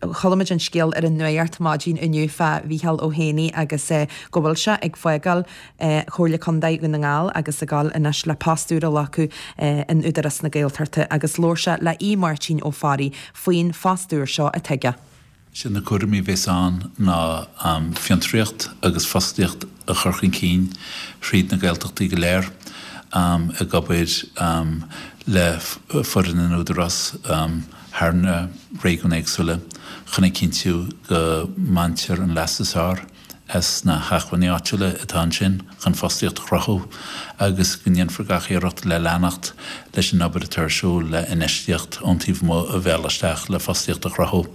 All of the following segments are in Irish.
Chuala muid an scéal ar an nuacht maidin inniu fá Mhícheál Ó hÉanaí agus go bhfuil sé ag fágáil Chomhairle Contae Dhún na nGall agus ag dul anois le post úr a ghlacadh in Údarás na Gaeltachta agus labhair sé le Aodh Máirtín Ó Fearraigh faoin phost úr seo atá aige. Is iad na cúraimí a bheas ann ná fiontraíocht agus fostaíocht a chur chun cinn thríd na Gaeltachtaí go léir, ag obair le foireann an Údarás thar na réigiúin éagsúla chun a chinntiú go mbaintear an leas is fearr as na hacmhainní áitiúla atá ansin chun fostaíocht a chruthú agus go ndéanfar gach iarracht le leanacht leis an obair atá ar siúl le infheistíocht ón taobh amuigh a mhealladh isteach le fostaíocht a chruthú.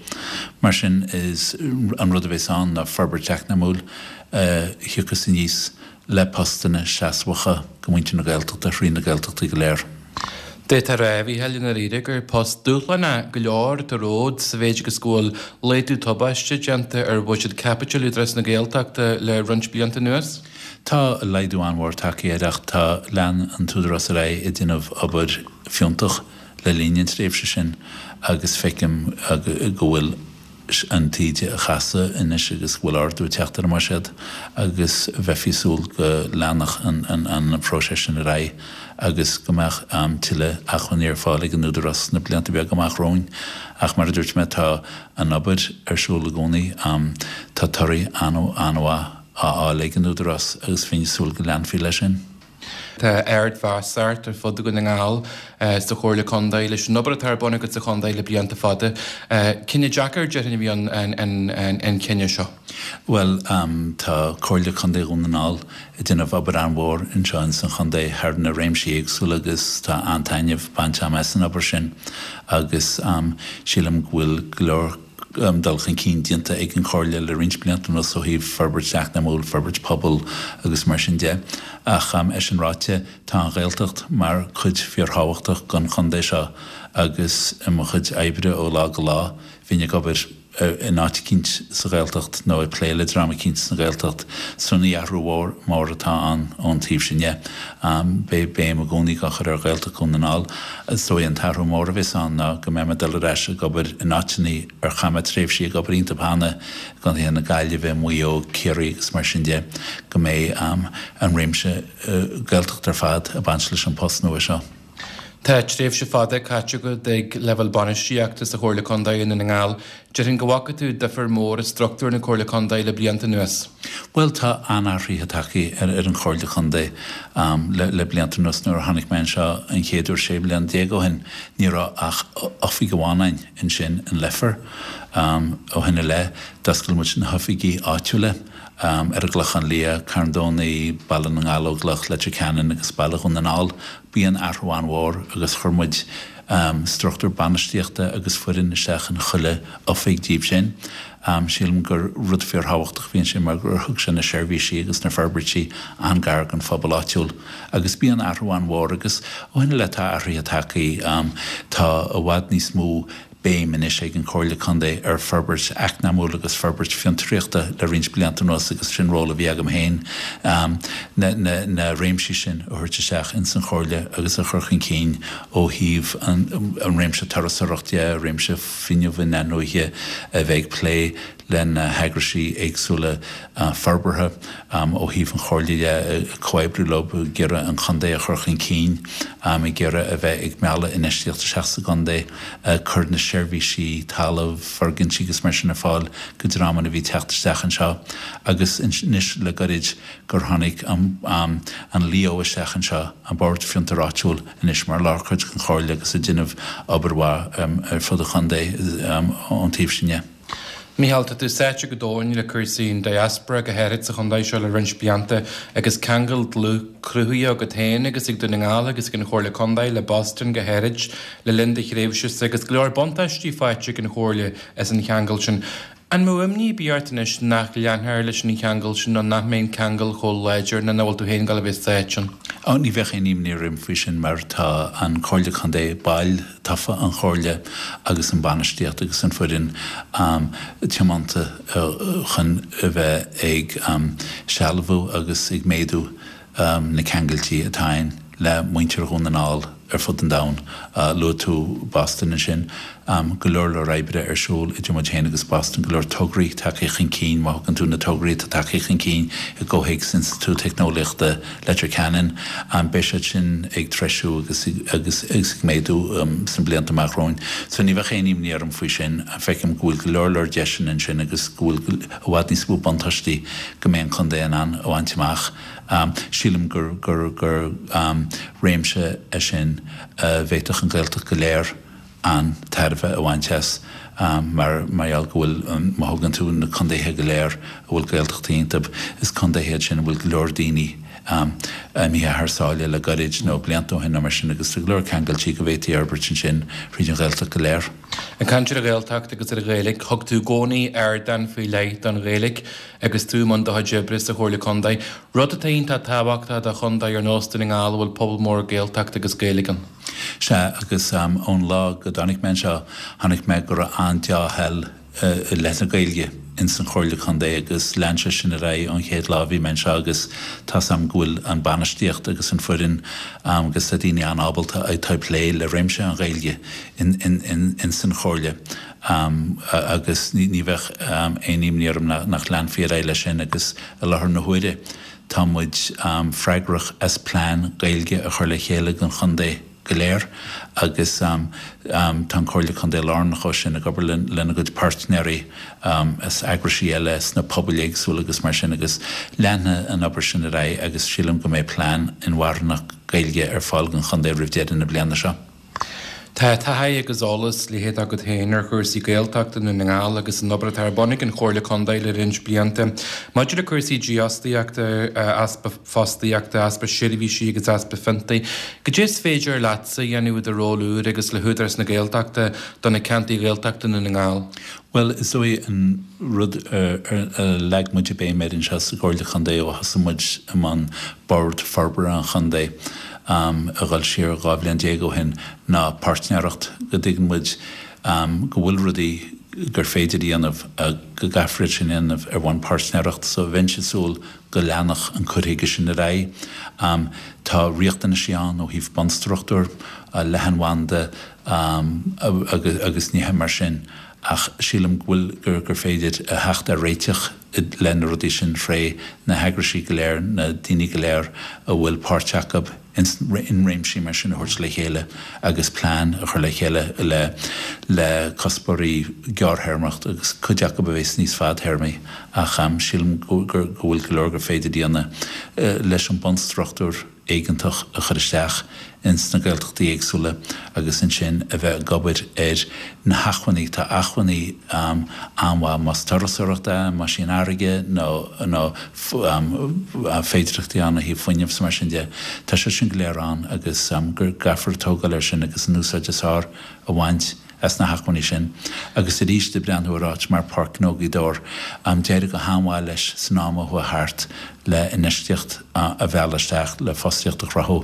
Mar sin is an rud a bheas ann ná forbairt eacnamúil a thiocfas aníos le postanna seasmhacha go muintir na Gaeltachta thrí na Gaeltachtaí go léir. D'fhéadfá a rá, a Mhícheáil, i ndáiríre, gur post dúshlánach go leor atá romhat sa mhéid agus go bhfuil laghdú tubaisteach déanta ar bhuiséad caipitil Údarás na Gaeltachta le roinnt blianta anuas. Tá laghdú an-mhór tagtha air ach tá, lean an tÚdarás ar aghaidh ag déanamh obair fiúntach le linn an tréimhse sin agus feicim go bhfuil an taoide a chasadh anois agus go bhfuil ardú ag teacht ar an mbuiséad agus bheifí ag súil go leanfadh an próiseas sin ar aghaidh agus go mbeadh tuilleadh acmhainní ar fáil ag an Údarás sna blianta beaga amach romhainn. Ach mar a dúirt mé, tá an obair ar siúl i gcónaí, tá torthaí an-mhaith á fháil ag an Údarás agus bheinn ag súil go leanfaí leis sin. Tá ardmheas ort ar fud Dhún na nGall sa Chomhairle Contae leis an obair atá ar bun agat sa chontae le blianta fada. Cinneadh deacair, déarfainn, a bhí ann an cinneadh seo. Bhuel, tá Comhairle Contae Dhún na nGall ag déanamh obair an-mhór anseo ins an chontae thar na réimsí éagsúla agus tá an-taitneamh bainte agam as an obair sin agus sílim go bhfuil go leor dul chun cinn déanta ag an Chomhairle le roinnt blianta anuas ó thaobh forbairt eacnamúil, forbairt pobail agus mar sin de. Ach é sin ráite, tá an Ghaeltacht mar cuid fíorthábhachtach den chontae seo agus i mo chuid oibre ó lá go lá, bhínn ag obair in áit eicínt sa Ghaeltacht nó ag plé le dream eicínt sa Ghaeltacht. So ní athrú mór atá ann ón taobh sin dhe. Beidh béim i gcónaí á chur ar Ghaeltacht Dhún na nGall. Is dóigh an t-athrú mór a bheas ann ná go mbeidh mé ag dul ar ais ag obair in áiteanna ar chaith mé tréimhsí ag obair iontu cheana, i gcontaetha na Gaillimhe, Maigh Eo, Ciarraí agus mar sin de, go mbeidh an réimse Gaeltachta ar fad ag baint leis an post nua seo. Tá tréimhse fada caite agat ag leibhéal bainistíochta sa Chomhairle Contae i nDún na nGall. Déarfainn go bhfaca tú difear mór i struchtúr na Comhairle Contae le blianta anuas. Bhuel, tá an-athruithe tagtha ar an Chomhairle Contae le blianta anuas. Nuair a tháinig mé anseo an chéad uair 16 bliana ó shin, ní raibh ach oifig amháin ann, ansin in Leifear. Ó shin i leith, d'oscail muid na hoifigí áitiúla ar an gClochán Liath, Carn Domhnaigh, Baile na nGallóglach, Leitir Ceanainn agus Baile Dhún na nGall. B'in athrú an-mhór agus chuir muid struchtúr bainistíochta agus foireann isteach in chuile oifig díobh sin. Sílim gur rud fíorthábhachtach a bhí ansin mar gur thug sé na seirbhísí agus na forbairtí an-gar don phobal áitiúil. Agus b'in athrú an-mhór agus ó shin i leith tá athruithe tagtha. Tá i bhfad níos mó béim anois ag an Chomhairle Contae ar forbairt eacnamúil agus forbairt fiontraíochta le roinnt blianta anuas agus sin ról a bhí agam féin na réimsí sin a thabhairt isteach ins an Chomhairle agus a chur chun cinn ó thaobh an réimse turasóireacht de, réimse fuinneamh in-athnuaithe, a bheith ag plé le na heagraisí éagsúla forbartha ó thaobh an Chomhairle de, ag comhoibriú leo, ag iarraidh an chontae a chur chun cinn, ag iarraidh a bheith ag mealladh infheistíocht isteach sa gcontae, ag cur na seirbhísí talamh, foirgintí agus mar sin ar fáil go dreamanna a bhí ag teacht isteach anseo agus anois le goirid gur tháinig an LEO isteach anseo, an Bord Fiontair Áitiúil, anois mar lárchuid den Chomhairle agus ag déanamh obair mhaith ar fud an chontae ón taobh sin de. Micheál, tá tú sáite go domhain le cúrsaí an diaspora, go háirid sa chontae seo le roinnt blianta, agus ceangal dlúth cruthaithe agat féin agus ag Dún na nGall agus ag an Chomhairle Contae le Boston go háirid le linn do thréimhse-sa agus go leor buntáistí faighte ag an Chomhairle as an cheangal sin. An mbeadh imní ar bith ort anois nach leanfar leis an cheangal sin nó nach mbeidh an ceangal chomh láidir nó nach bhfuil tú féin ag dul a bheith sáite ann? Ó, ní bheadh aon imní orm faoi sin mar tá an Comhairle Contae, baill tofa an Chomhairle agus an bainistíocht agus an foireann tiomanta chun a bheith ag sealbhú agus ag méadú na ceangailtí atá ann le muintir Dhún na nGall ar fud an domhain. Luaigh tú Boston ansin. Go leor leor oibre ar siúl idir muid féin agus Boston, go leor tograí tagtha chun cinn, má thugann tú na tograí atá tagtha chun cinn i gcomhthéacs Institiúid Teicneolaíochta Leitir Ceanainn, beidh siad sin ag treisiú agus agus ag méadú sna blianta amach romhainn. So ní bheadh aon imní orm faoi sin. Feicim go bhfuil go leor leor deiseanna ansin agus go bhfuil i bhfad níos mó buntáistí go mbeidh an contae in ann a bhaint amach. Sílim gur gur gur réimse é sin a bhféadfadh an Ghaeltacht go léir an-tairbhe a bhaint as mar mar gheall go bhfuil, má thugann tú na contaetha go léir a bhfuil Gaeltachtaí iontu, is contaetha iad sin a bhfuil go leor daoine imithe thar sáile le goirid nó blianta ó shin nó mar sin agus tá go leor ceangailtí go bhféadfaí a fhorbairt ansin thríd an Ghaeltacht go léir. Ag caint ar an Ghaeltacht agus ar an Ghaeilge, thug tú i gcónaí ardán faoi leith don Ghaeilge agus tú i mbun do chuid oibre sa Chomhairle Contae, rud atá iontach tábhachtach do chontae ar nós Dún na nGall a bhfuil pobal mór Gaeltachta agus Gaeilge ann. Sea, agus ón lá go dtáinig mé anseo, chonaic mé go raibh an-dea-thoil i leith na Gaeilge ins an Chomhairle Contae agus lean sé sin ar aghaidh ón chéad lá a bhí mé anseo agus tá's a'm go bhfuil an bainistíocht agus an foireann agus tá daoine an-ábalta atá ag plé le réimse an Ghaeilge ins an Chomhairle agus ní bheadh aon imní orm nach leanfaí ar aghaidh leis sin agus i láthair na huaire Tá muid freagrach as plean Gaeilge a chur le chéile don chontae go léir agus tá an Comhairle Contae lárnach dó sin, ag obair lena gcuid páirtnéirí as eagraisí eile sna pobail éagsúla agus mar sin agus leanfaidh an obair sin ar aghaidh agus sílim go mbeidh plean inmharthanach Gaeilge ar fáil don chontae roimh deireadh na bliana seo. Tá taithí agus eolas leitheadach agat féin ar chúrsaí Gaeltachta i nDún na nGall agus an obair atá ar bun ag an Chomhairle Contae le roinnt blianta. Maidir le cúrsaí dífhostaíochta, easpa fostaíochta, easpa seirbhísí agus easpa fiontaí, cad é is féidir leatsa a dhéanamh i do ról úr agus le hÚdarás na Gaeltachta do na ceantair Ghaeltachta i nDún na nGall? Bhuel, is dóigh an rud ar leag muid béim air anseo sa gComhairle Chontae ó thosaigh muid i mbun Bord Forbartha an Chontae a dhul siar 12 bhliain ó shin ná páirtnéireacht, go dtuigeann muid go bhfuil rudaí gur féidir a dhéanamh go gcaithfear iad sin a dhéanamh ar bhonn páirtnéireacht. So bheinnse ag súil go leanfadh an cur chuige sin ar aghaidh. Tá riachtanaisí ann ó thaobh bunstruchtúr, leathanbhanda agus nithe mar sin. Ach sílim go bhfuil, gur féidir a theacht ar réiteach le na rudaí sin tré na heagraisí go léir, na daoine go léir a bhfuil páirt acu in réimsí mar sin a thabhairt le chéile agus plean a chur le chéile le le cuspóirí gearrthéarmach agus cuid acu a bheas níos fadthéarmaí. Ach sílim go bhfuil go leor gur féidir a dhéanamh leis an bunstruchtúr. éigeantach a chur isteach ins na Gaeltachtaí éagsúla agus ansin a bheith ag obair ar na hacmhainní. Tá acmhainní an-mhaith, más turasóireacht é, más í an fharraige nó nó féidearthachtaí ann ó thaobh fuinnimh is mar sin de. Tá sé sin go léir ann agus go gcaithfear tógáil air sin agus an úsáid is fearr a bhaint as na hacmhainní sin. Agus arís, ag breathnú ar áit mar Páirc Ghnó Ghaoth Dobhair, d'éirigh go han-mhaith leis san am a chuaigh thart le infheistíocht a mhealladh isteach, le fostaíocht a chruthú.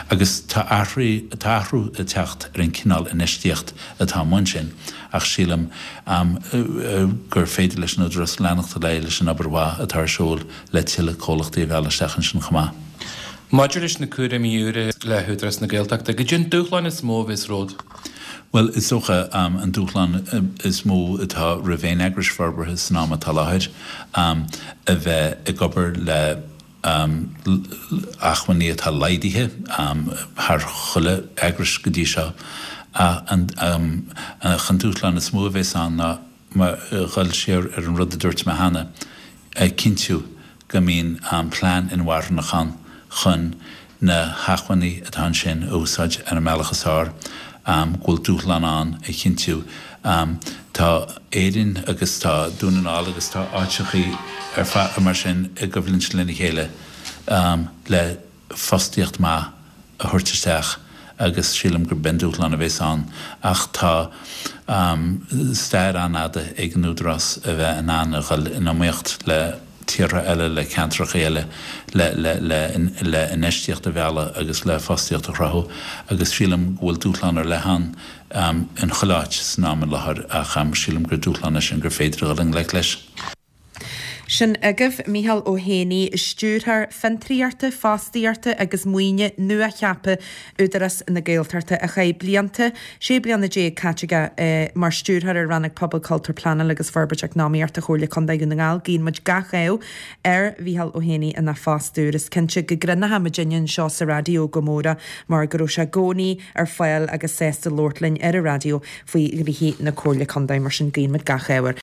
Agus tá athrú, tá athrú ag teacht ar an cineál infheistíocht atá amuigh ansin ach sílim gur féidir leis an Údarás leanacht ar aghaidh leis an obair mhaith atá ar siúl le tuilleadh comhlachtaí a mhealladh isteach ansin chomh maith. Maidir leis na cúraimí úra le hÚdarás na Gaeltachta, cad é an dúshlán is mó a bheas romhat? Bhuel, is dócha, an dúshlán is mó atá roimh aon eagrais forbartha san am atá i láthair, a bheith ag obair le acmhainní atá laghdaithe thar chuile eagrais go dtí seo. Ach an dúshlán is mó a bheas ann ná, mar dhul siar ar an rud a dúirt mé cheana, a chinntiú go mbíonn plean inmharthanach ann chun na hacmhainní atá ansin a úsáid ar an mbealach is fearr, go bhfuil dúshlán ann a chinntiú. Tá Éirinn agus tá Dún na nGall agus tá áiteachaí ar fad mar sin i gcoimhlint lena chéile le fostaíocht maith a thabhairt isteach agus sílim gurb é an dúshlán a bhéas ann ach tá stair an-fhada ag an Údarás a bheith in ann a dhul in iomaíocht le tíortha eile, le ceantracha eile le le le le infheistíocht a mhealladh agus le fostaíocht a chruthú agus sílim go bhfuil dúshlán ar leith ann in chuile áit san am i láthair ach sílim gur dúshlán é sin gur féidir a dhul i ngleic leis. Sin agaibh Micheál Ó hÉanaí, Stiúrthóir Fiontraíochta, Fostaíochta agus Maoine nua-cheaptha Údarás na Gaeltachta, a chaith blianta, 16 bliana caite aige mar Stiúrthóir ar Rannóg Pobal, Cultúr, Pleanáil agus Forbairt Eacnamaíochta Chomhairle Contae Dhún na nGall. Guíonn muid gach ádh ar Mhicheál Ó hÉanaí ina phost úr. Is cinnte go gcruinneoidh muidinne anseo sa raidió go mór é mar go raibh sé i gcónaí ar fáil agus sásta labhairt linn ar an raidió faoi ghnoithí na Comhairle Contae. Mar sin guíonn muid gach ádh air.